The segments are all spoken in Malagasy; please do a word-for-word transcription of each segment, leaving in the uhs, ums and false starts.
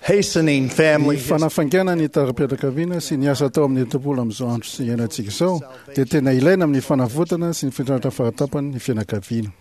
Hastening family Ny fanafaingana ny tantaram-pianakaviana sy ny asa atao amin'ny tempoly amin'izao andro sy iainantsika izao dia tena ilaina amin'ny fanavotana sy ny fitrandrahana faratapany ny fianakaviana.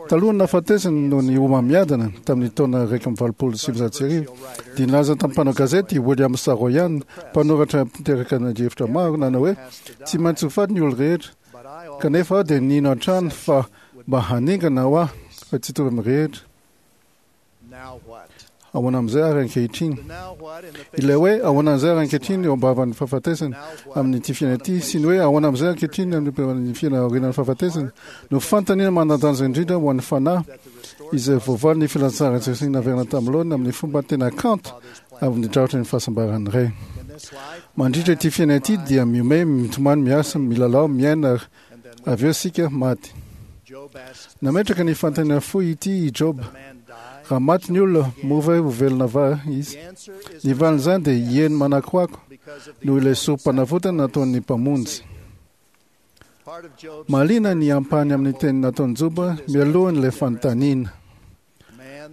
Talohan'ny nahafatesany noho ny homamiadana tamin'ny taona iraika amby valopolo sy sivinjato sy arivo dia nilaza tamin'ny mpanao gazety William Saroyan, mpanoratra mpiteraka adihevitra maro, nanao hoe tsy maintsy ho faty ny olo rehetra, kanefa aho dia nino hatrany fa mba haningana ho ahy fa tsy hitovy amin'ny rehetra. Ahoana amin'izay ary ankehitriny? Ilay hoe ahoana amin'izay ary ankehitriny eo ambavan'ny fahafatesana amin'ity fiainana ity sy ny hoe ahoana amin'izay ankehitriny amin'ny fiainana aorianan'ny fahafatesana no fanontaniana manan-danja indrindra ho an'ny fanahy izay voavaly ny filazantsara Jesosy naverina tamin'ny laoniny amin'ny fomba tena kanto avy nidrafitra ny fahasambaran'ny Ray. Mandritra ity fiainana ity dia mihomehy, mitomany, miasa, milalao, miaina ary avy eo isika maty. Nametraka ny fanontaniana fohy ity i Job: raha maty ny olona, moa ve ho velona va izy? Ny valin'izany dia eny manakoako noho ilay sorom-panavotana nataon'ny Mpamonjy. Mahaliana ny ampahany amin'ny teny nataon'i Joba mialohan'ilay fanontaniana.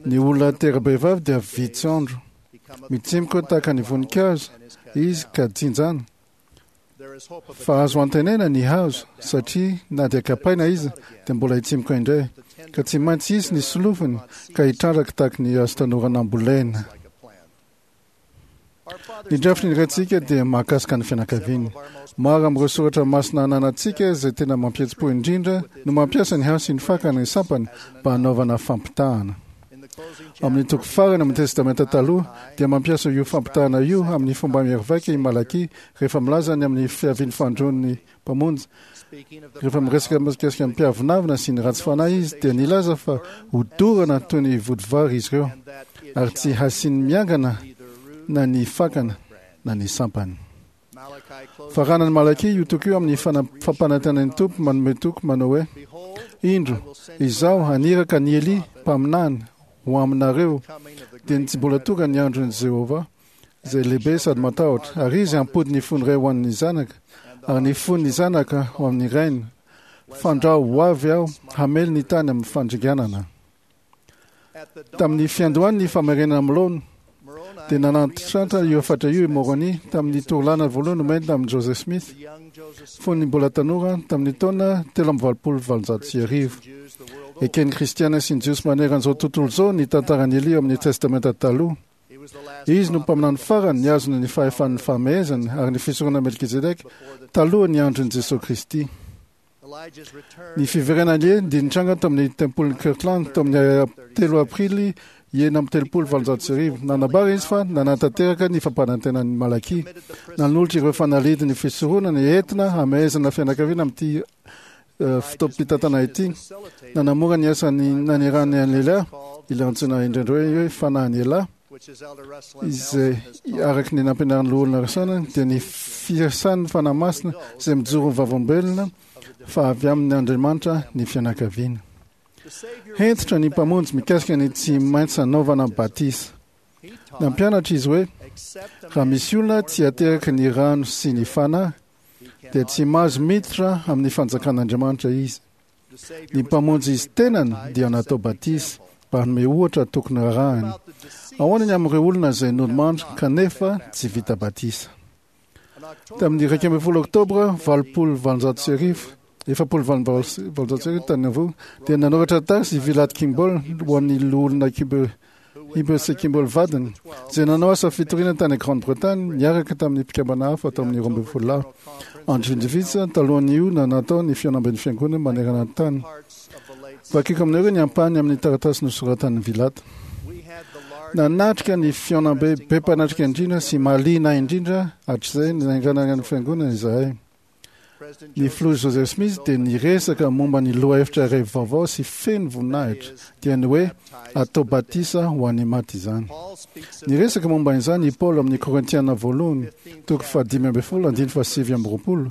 Ny olona tera-behivavy dia vitsy andro, mitsimoka tahaka ny voninkazo izy ka jinjana. Fa azo antenaina ny hazo, satria na dia kapaina izy dia mbola hitsimoka indray, ka tsy maintsy hisy ny solofony ka hitrandraka tahaka ny hazo tanora nambolena. Ny drafitry ny Raintsika dia mahakasika ny fianakaviana. Maro amin'ireo soratra masina ananantsika izay tena mampihetsi-po indrindra no mampiasa ny hazo sy ny fakany ny sampany mba hanaovana fampitahana. Amin'ny toko farany amin'ny Testamenta Taloha dia mampiasa io fampitahana io amin'ny fomba mahery vaika i Malakia rehefa milaza ny amin'ny fiavian'ny fandroan'ny Mpamonjy. Rehefa miresaka mikasika ny mpiavonavona sy ny ratsy fanahy izy dia nilaza fa hodorana toy ny vodivary izy ireo ary tsy hasiany miangana na ny fakana na ny sampany. Faranan'i Malakia io toko io amin'ny fampanantenan'ny Tompo manome toky manao hoe: Indro, izaho haniraka an'i Elia mpaminany ho aminareo, dia ny tsy mbola tonga ny andron'i Jehovah, izay lehibe sady matahotra, ary izy hampody ny fon'ny ray ho an'ny zanaka, ary ny fon'ny zanaka ho amin'ny rainy, fandrao ho avy aho hamely ny tany amin'ny fandringanana. Tamin'ny fiandohan'ny famerenana amin'ny laoniny dia nanantitrantitra io hafatra io i Moroni tamin'ny torolana voalohany nomeny tamin'i Joseph Smith fony mbola tanora tamin'ny taona telo amby valopolo valonjato sy arivo. Eken'ny Kristiana sy ny Jiosy manerana izao tontolo izao ny tantaran'i Elia ao amin'ny Testamenta Taloha. Izy no mpaminany farany nihazona ny fahefan'ny fahamehezana ary ny fisoronana Melkizedeka talohan'ny andron'i Jesoa Kristy. Ny fiverenan'i Elia dia nitranga tamin'ny tempolin'i Kirtland tamin'ny telo aprily enina amby telopolo valonjato sy arivo. Nanambara izy fa nanatanteraka ny fampanantenan'i Malakia, nanolotra ireo fanalahidin'ny fisoronana entina hamehezana fianakaviana amin'ity fotoam-pitantana ity. Nanamora ny asany nanirahany an'i Elia, ilay antsoina indraindray hoe fanahin'i Elia, izay araka ny nampianarin'ny loholona Rasana dia ny fiasan'ny Fanahy Masina izay mijoro ho vavolombelona fa avy amin'ny Andriamanitra ny fianakaviana. Hentitra ny Mpamonjy mikasika ny tsy maintsy hanaovana batisa. Nampianatra izy hoe raha misy olona tsy ateraky ny rano sy ny Fanahy dia tsy mahazo miditra amin'ny fanjakan'Andriamanitra izy. Ny Mpamonjy izy tenany dia natao batisa mba hanome ohatra tokony arahany. Ahoana ny amin'ireo olona izay nodimandry kanefa tsy vita batisa? Tamin'ny iraika ambin'ny folo oktobra valopolo valonjato sy arivo, efapolo valonjato sy arivo tany Nauvoo, dia nanoratra taratasy i Vilate Kimball ho an'ny loholona Heber sy Kimball vadiny, izay nanao asa fitoriana tany Grande-Bretagne niaraka tamin'ny mpikambana hafa tao amin'ny roa ambin'ny folo lahy. Andro vitsivitsy talohan'io no natao ny fihaonamben'ny fiangonana manerana ny tany. Vakiko aminareo ny ampahany amin'ny taratasy nosoratan'i Vilate. Nanatrika ny fihaonambe be mpanatrika indrindra sy mahaliana indrindra hatrizay nanganana ny fiangonana izahay. Ny filoha Joseph Smith dia niresaka momba ny lohahevitra iray vaovao sy feno voninahitra, dia ny hoe atao batisa ho an'ny maty izany. Niresaka momba izany i Paoly amin'ny Korintiana voalohany, toko fahadimy ambin'ny folo, andininy fahasivy amby roapolo.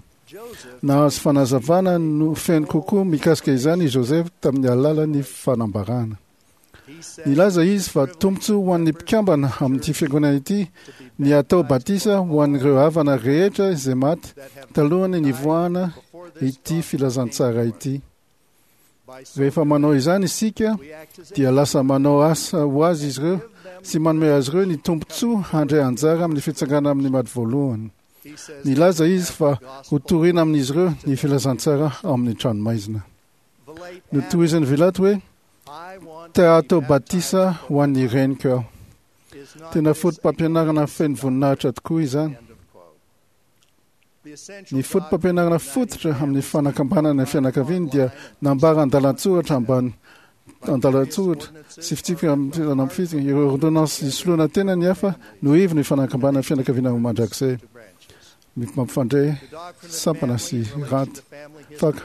Nahazo fanazavana no feno kokoa mikasika izany i Joseph tamin'ny alalan'ny fanambarana. Nilaza izy fa tombontsoa ho an'ny mpikambana amin'ity fiangonana ity ny atao batisa ho an'ireo havana rehetra izay maty talohan'ny nivoahana ity filazantsara ity. Rehefa manao izany isika dia lasa manao asa ho azy izy ireo sy manome azy ireo ny tombontsoa handray anjara amin'ny fitsangana amin'ny maty voalohany. Nilaza izy fa hotorina amin'izy ireo ny filazantsara ao amin'ny tranomaizina. Notohizan'i Vilate hoe te hatao batisa ho an'ny reniko aho. Tena foto-pampianarana feno voninahitra tokoa izany. Ny foto-pampianarana fototra amin'ny fanakambanana ny fianakaviany dia nambara andalan-tsoratra ambany andalan-tsoratra sy fitsipika amin'ny ireo ordonnance isoloana tena ny hafa no ivon'ny fanakambanana fianakaviana ho mandrakizay. Mampifandray sampana sy raty faka.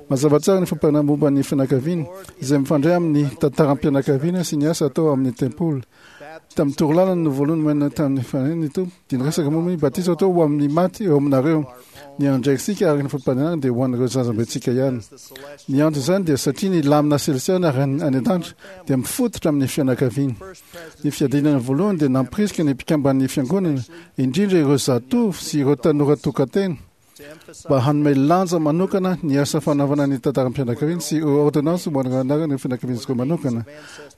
Mazava tsara ny fampianarana momba ny fianakaviana izay mifandray amin'ny tantaram-pianakaviana sy ny asa atao amin'ny tempoly. Tamin'ny torolalana no voalohany nomena tamin'ny fanahy Tompo dia niresaka momba ny batisa atao ho amin'ny maty eo aminareo. Ny andraikitsika araka ny fampianarana dia ho an'ireo zazambentsika ihany. Ny anton'izany dia satria ny lamina selesiana ary any an-danitra dia mifototra amin'ny fianakaviana. Ny fiadiana voalohany dia nampirisika ny mpikamban'ny fiangonana, indrindra ireo zatovo sy ireo tanora tokantena, mba hanome lanja manokana ny asa fanaovana ny tantaram-pianakaviana sy ireo ordonnance ho an'ireo anaran'ireo fianakavian'izy ireo manokana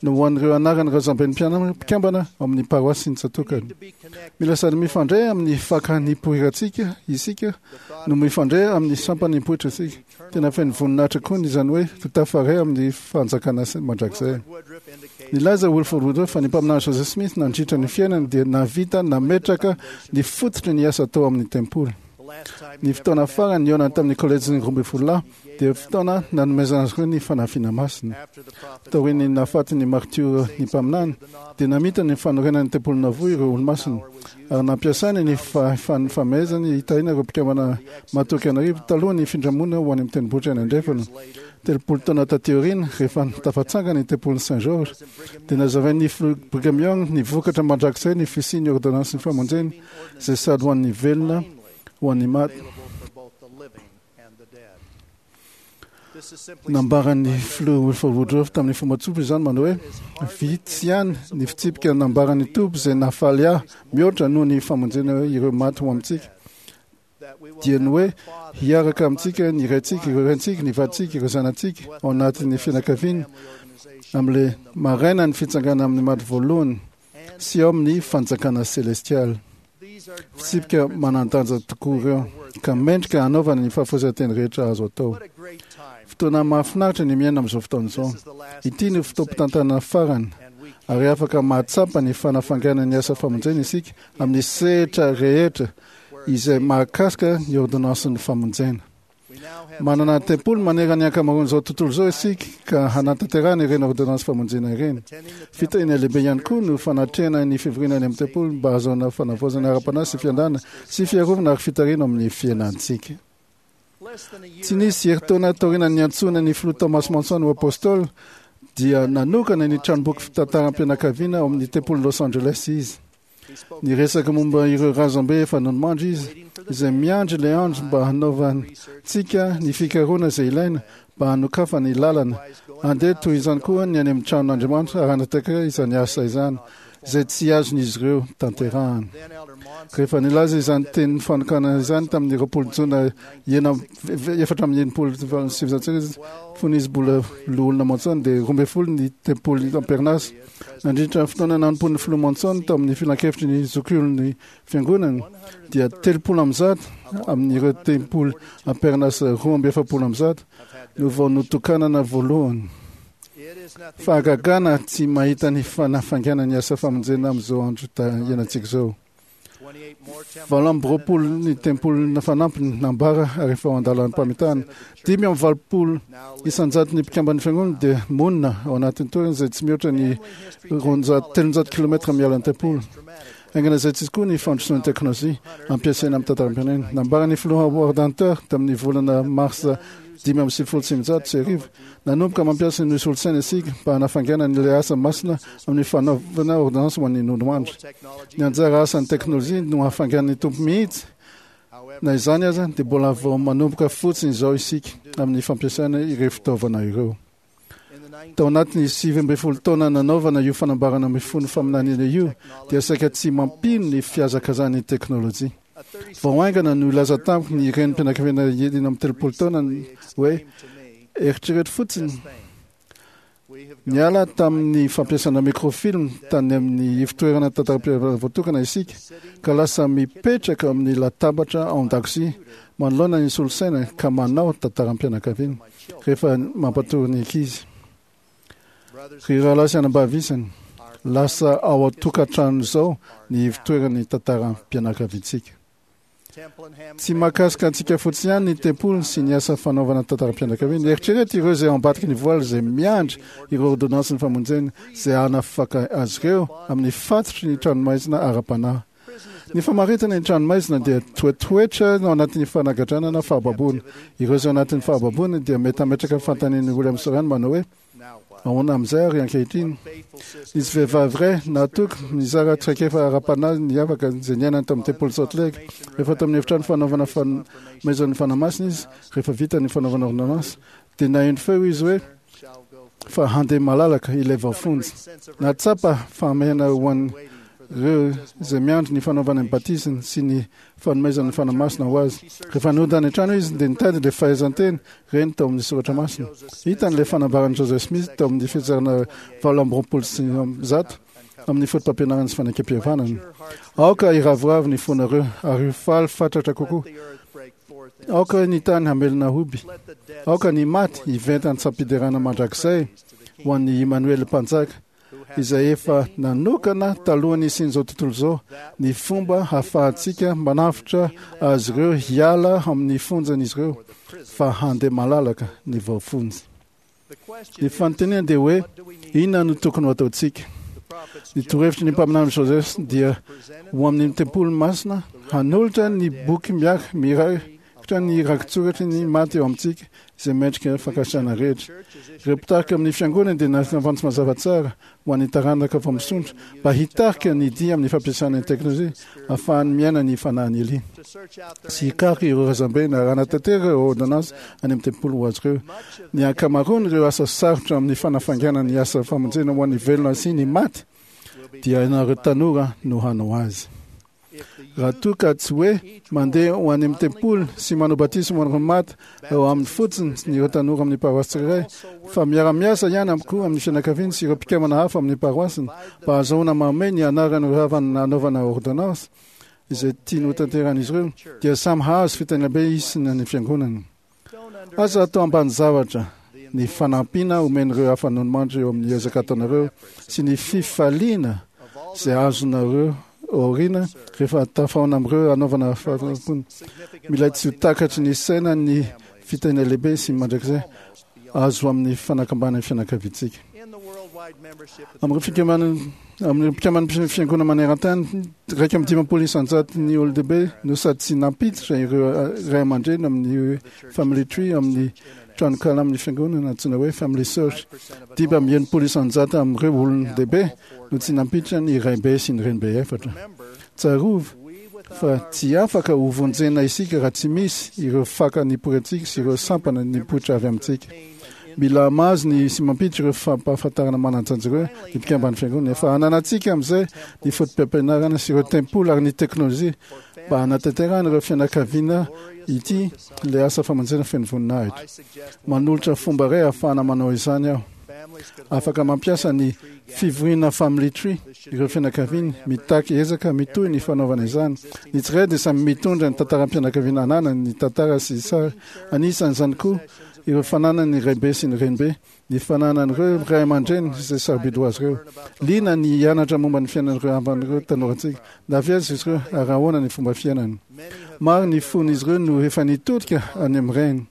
no ho an'ireo anaran'ireo razamben'ny mpikambana ao amin'ny paroasy sy ny tsatokany. Mila sady mifandray amin'ny fakan'ny poirantsika isika no mifandray amin'ny sampan'ny poitra isika. Tena feno voninahitra koa ny izany hoe ho tafaray amin'ny fanjakana mandrakizay. Nilaza Wilford Woodruff fa ny mpaminany Joseph Smith nandritra ny fiainany dia nahavita nametraka ny fototry ny asa atao amin'ny tempoly. Ny fotoana farany nihaonany tamin'ny kolejin'ny roa ambin'ny folo lahy dia fotoana nanomezana azy ireo ny fanafiana masina. Taorian'ny nahafatin'ny martiora ny mpaminany dia namita ny fanorenana ny tempoly Nauvoo ireo olomasina ary nampiasainy ny fahefan'ny famehezany hitahiana ireo mpikambana matoky an'arivo talohan'ny findramona ho any amin'ny tendrombohitra any andrefana. Telopolo taona taty aoriana, rehefa tafatsangana ny tempolin'i Saint Georges, dia nazavain'ny filoha Brigham Young ny vokatra mandrakizay ny fisian'ny ordonnansin'ny famonjena izay sady ho an'ny velona ho an'ny maty. Nambaran'ny filoha Wilford Woodruff tamin'ny fomba tsotra izany manao hoe vitsy ihany ny fitsipika nambaran'ny Tompo izay nahafaly ahy mihoatra noho ny famonjena ireo maty ho amintsika. Dia ny hoe hiaraka amintsika ny raintsika, ireo raintsika, ny vadintsika, ireo zanatsika ao anatin'ny fianakaviana amin'ilay maraina ny fitsangana amin'ny maty voalohany sy ao amin'ny fanjakana selestialy. Fitsipika manan-danja tokoa ireo ka mendrika hanaovana ny fahafoizan-teny rehetra azo atao. Fotoana mahafinaritra ny miaina amin'izao fotoana izao. Ity no fotoam-pitantanana farany ary afaka mahatsapa ny fanafanganana ny asa famonjena isika amin'ny sehatra rehetra izay mahakasika ny ordonnansin'ny famonjena. Manana tempoly manerana ny ankamaroan'izao tontolo izao isika ka hanatanterahana ireny ordonnance famonjena ireny. Fitahiana lehibe ihany koa no fanatrehana ny fivoriana any amin'ny tempoly mba hahazoana fanavaozana ara-panahy sy fiandana sy fiarovana ary fitarihana amin'ny fiainantsika. Tsy nisy herintaona taorian'ny niantsoana ny filoha Thomas Monson ho apôstôly dia nanokana ny tranomboky fitantaram-pianakaviana ao amin'ny tempolin'i Los Angeles izy. Niresaka momba ireo razambe efa nodimandry izy, izay miandry ilay andro mba hanaovantsika ny fikarohana izay ilaina mba hanokafa ny lalana. Andeha toy izany koa ny any amin'ny tranon'Andriamanitra ary hanatanteraka izany asa izany, izay tsy azon'izy ireo tanterahana. Rehefa nilaza izany tenin'ny fanokanana izany tamin'ny roapolo jona efatra amby enimpolo sy sivinjato sy arivo, fony izy mbola loholona Monson, dia roa ambin'ny folo ny tempoly am-perinasa. Nandritra ny fotoana nanompoan'ny filoha Monson tao amin'ny filankevitry ny zokiolon'ny fiangonana dia telopolo amby zato amin'ireo tempoly am-perinasa roa amby efapolo amby zato no vao notokanana voalohany. Fahagagana tsy mahita ny fanafaingana ny asa famonjena amin'izao andro iainantsika izao. Valo amby roapolo ny tempoly fanampiny nambara ary efa ao an-dalam-pamitahana. Dimy amby valopolo isan-jato ny mpikamban'ny fiangonana dia monina ao anatin'ny toerana izay tsy mihoatra ny roanjato telonjato kilometra miala ny tempoly. Haingana izay tsy koa ny fandrosoan'ny teknolojia ampiasaina amin'ny tantaram-pirenena. Nambaran'ny filoha Howard Hunter tamin'ny volana marsa dimy amby sivifolo sy sivinjato sy arivo, nanomboka mampiasa ny solosaina isika mba hanafaingana ny ilay asa masina amin'ny fanaovana ordonnance ho an'ny nodimandry. Ny anjara asan'ny teknolojia no hafaingan'ny Tompo mihitsy. Na izany aza dia mbola vao manomboka fotsiny izao isika amin'ny fampiasana ireo fitaovana ireo. Tao anatin'ny sivy ambin'ny folo taona nanaovana io fanambarana mifono faminaniana io dia saika tsy mampino ny fihazakazahan'ny teknolojia. Vao haingana no nilaza tamiko ny renim-pianakaviana enina amby telopolo taona hoe Eritrereto fotsiny, niala tamin'ny fampiasana microfilm tany amin'ny ivontoerana tantaram-pihavanana voatokana isika ka lasa mipetraka amin'ny latabatra ao an-dakozia manoloana ny solosaina ka manao tantaram-pianakaviana rehefa mampatory ny ankizy. Ry rahalahy sy anabavy isany, lasa ao an-tokantrano izao ny ivontoeran'ny tantaram-pianakaviantsika. Tsy mahakasika antsika fotsiny ihany ny tempoly sy ny asa fanaovana tantaram-pianakaviana. Eritrereto ireo izay ao ambadiky ny voaly izay miandry ireo ordonnansin'ny famonjena izay hanafaka azy ireo amin'ny fatotry ny tranomaizina ara-panahy. Ny famaritana ny tranomaizina dia toetoetra ao anatin'ny fanagadrana na fahababoana. Ireo izay ao anatin'ny fahababoana dia mety hametraka fanontanian'ny William Soran manao hoe: ahoana amin'izay ary ankehitriny? Nisy vehivavy iray nahatoky nizara traikefa ara-panahy niavaka izay niainany tao amin'ny tempoly Salt Lake. Rehefa tao amin'ny efitrano fanaovana fanomezan'ny Fanahy Masina izy, rehefa vita ny fanaovana ordonnance, dia naheno feo izy hoe fa handeha malalaka ilay voafonja. Nahatsapa fahamehana ho an'ireo izay miandry ny fanaovana ny batisany sy ny fanomezan'ny Fanahy Masina ho azy. Rehefa nody any an-trano izy dia nitady ilay fahaizan-teny reny tao amin'ny soratra masina. Hitany ilay fanambaran'i Joseph Smith tao amin'ny fitsarana valo amby roapolo sy zato amin'ny foto-pampianarana sy fanekempihavanana. Aoka hiravoravo ny fonareo ary ho faly fatratra kokoa. Aoka ny tany hamelona hoby. Aoka ny maty hiventa an-tsampiderana mandrakizay ho an'ny Immanuel Mpanjaka, izay efa nanokana talohan'ny nisian'izao tontolo izao ny fomba hahafahantsika manavotra azy ireo hiala amin'ny fonjan'izy ireo fa handeha malalaka ny voafonja. Ny fanontaniana dia hoe inona no tokony ho ataontsika? Ny torohevitry ny mpaminany Joseph dia ho amin'ny tempoly masina hanolotra ny boky miaraka mirakitra ny rakitsoratry ny maty eo amintsika izay mendrika fankasitrahana rehetra. Ireo mpitarika amin'ny fiangonana dia nafantsy mazava tsara ho an'ny taranaka vao misondrotra mba hitarika ny dia amin'ny fampiasana ny teknolojia ahafahany miaina ny fanahin'i Elia sy hikaroka ireo razambe na hanatanteraka ireo ordonnance any amin'ny tempoly ho azy ireo. Ny ankamaroan'ireo asa sarotra amin'ny fanafaingana ny asa famonjena ho an'ny velona sy ny maty dia ianareo tanora no hanao azy. Raha toa ka tsy hoe mandeha ho any amin'ny tempoly sy manao batisa ho an'ireo maty ao aminy fotsiny ny ireo tanora amin'ny paroasy tsirairay, fa miara-miasa ihany amiko koa amin'ny fianakaviany sy ireo mpikambana hafa amin'ny paroasiny mba hahazoana manome ny anaran'ireo havana hanaovana ordonnance izay tiany ho tanterahan'izy ireo, dia samy hahazo fitahiana be isy ny fiangonana. Aza atao ambany zavatra ny fanampiana omen'ireo hafa nonimandry eo amin'ny ezaka ataonareo sy ny fifaliana izay azonareo aoriana rehefa tafahaona amin'ireo hanaovana fanompoana. Mila tsy ho takatry ny saina ny fitahiana lehibe sy mandrakizay azo amin'ny fanakambanan'ny fianakaviantsika. Amin'ireo fikambanana amin'ireo mpikamban'ny fiangonana maneran-tany, iraika amby dimampolo isan-jato ny olon-dehibe no sady tsy nampiditra ireo ray aman-dreny amin'ny family tree amin'ny tranonkala amin'ny fiangonana antsoina hoe family search. Dimy amby enimpolo isan-jato amin'ireo olon-dehibe no tsy nampiditra ny raibe sy ny renibe efatra. Tsarovy fa tsy afaka ho vonjena isika raha tsy misy ireo faka nipoirantsika sy ireo sampana nipoitra avy amintsika. Mila mahazo ny sy mampiditra ireo fampahafantarana manan-danja ireo ny mpikamban'ny fiangonana. Efa ananantsika amin'izay ny foto-pampianarana sy ireo tempoly ary ny teknolojia mba hanatanterahana ireo fianakaviana ity ilay asa famonjena feno voninahitra. Manolotra fomba iray ahafahana manao izany aho. Afaka mampiasa ny fivoriana family tree ireo fianakaviana, mitaky ezaka mitohy ny fanaovana izany. Ny tsirairay dia samy mitondra ny tantaram-pianakaviana ananany, ny tantara sy sary. Anisan'izany koa ireo fananany raibe sy ny renibe, ny fananan'ireo ray aman-dreny izay sarobidy ho azy ireo. Liana ny hianatra momba ny fiainan'ireo havan'ireo tanorantsika. Na avy aiza izy ireo ary ahoana ny fomba fiainany. Maro ny fon'izy ireo no efa nitodika any amin'ny rainy.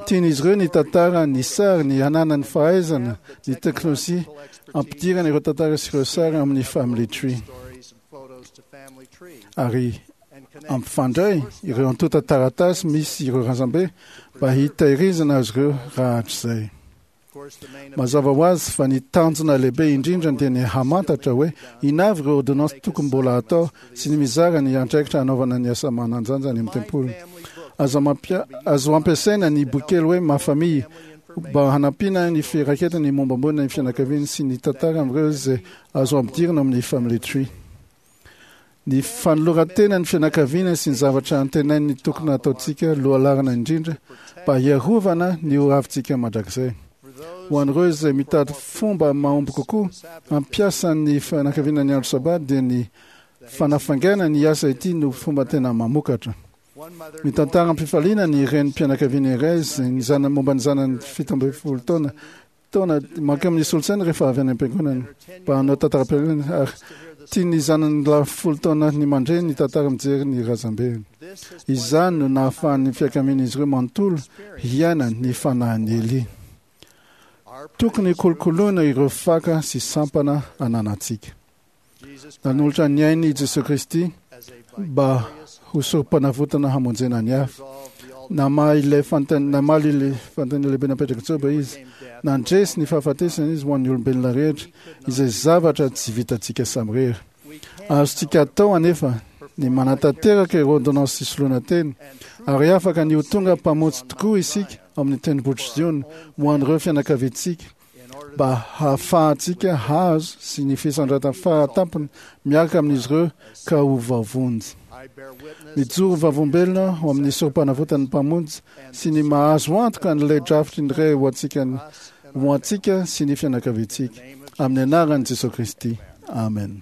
Tian'izy ireo ny tantara, ny sary, ny hananany fahaizana, ny teknolojia ampidirana ireo tantara sy ireo sary amin'ny family tree. Ary ampifandray ireo antontan-taratasy misy ireo razambe mba hitahirizana azy ireo rahatrizay. Mazava ho azy fa ny tanjona lehibe indrindra dia ny hamantatra hoe inona avy ireo ordonnance tokony mbola atao sy ny mizara ny andraikitra hanaovana ny asa manan-danja any amin'ny tempoly. Azo mampia- azo ampiasaina ny boky kely hoe Ma famille mba hanampiana ny firaketana ny mombamomba ny fianakaviany sy ny tantara amin'ireo izay azo ampidirina amin'ny family tree. Ny fanoloran-tena ny fianakaviana sy ny zavatra antenain'ny tokony hataontsika lohalarana indrindra mba hiarovana ny hoavintsika mandrakizay. Ho an'ireo izay mitady fomba mahomby kokoa hampiasa ny fianakaviana ny andro sabata dia ny fanafaingana ny asa ity no fomba tena mamokatra. Mitantara am-pifaliana ny renim-pianakaviana iray izay ny zanany momba ny zanany fito ambin'ny folo taona taona mankeo amin'ny solosaina rehefa avy any am-piangonana mba hanao tantaram-piangonana ary tian'ny zanany lahy folo taona ny mandre ny tantara mijery ny razambeny. Izany no nahafahan'ny fianakavian'izy ireo manontolo hiaina ny fanahin'i Elia. Tokony kolokoloina ireo faka sy sampana ananantsika. Nanolotra ny ainy i Jesosy Kristy mba ho sorom-panavotana hamonjena ny hafa. Namaly ilay fanontaniana namaly ilay fanontaniana lehibe napetrak'i Joba izy. Nandresy ny fahafatesana izy ho an'ny olombelona rehetra, izay zavatra tsy vitantsika samirery. Azontsika atao anefa ny manatanteraka ireo ordonnance fisoloana tena, ary afaka ny ho tonga mpamonjy tokoa isika amin'ny tendrombohitr'i Ziona ho an'ireo fianakaviantsika mba hahafahantsika hahazo sy ny fisandratana faratampony miaraka amin'izy ireo ka ho voavonjy. Mijoro vavolombelona ho amin'ny sorom-panavotan'ny mpamonjy sy ny mahazo antoka an'ilay drafitry ny Ray ho antsika ho antsika sy ny fianakaviantsika. Amin'ny anaran'i Jesosy Kristy. Amen.